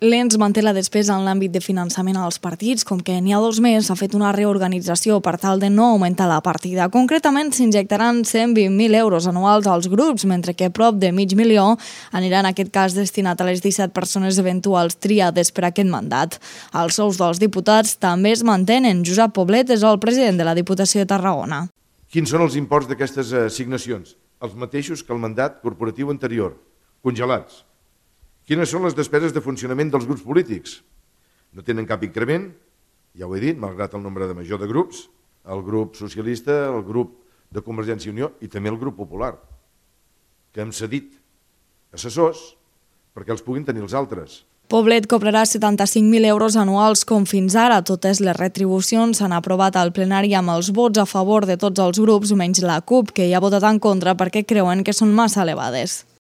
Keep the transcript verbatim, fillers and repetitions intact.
L'E N S manté la despesa en l'àmbit de finançament als partits, com que n'hi ha dos més s'ha fet una reorganització per tal de no augmentar la partida. Concretament s'injectaran cent vint mil euros anuals als grups, mentre que prop de mig milió anirà en aquest cas destinat a les disset persones eventuals triades per aquest mandat. Els sous dels diputats també es mantenen. Josep Poblet és el president de la Diputació de Tarragona. Quins són els imports d'aquestes assignacions? Els mateixos que el mandat corporatiu anterior, congelats. Quines són les despeses de funcionament dels grups polítics? No tenen cap increment, ja ho he dit, malgrat el nombre de major de grups, el grup socialista, el grup de Convergència i Unió i també el grup popular, que hem cedit assessors perquè els puguin tenir els altres. Poblet cobrarà setanta-cinc mil euros anuals com fins ara. Totes les retribucions s'han aprovat al plenari amb els vots a favor de tots els grups, menys la CUP, que hi ha votat en contra perquè creuen que són massa elevades.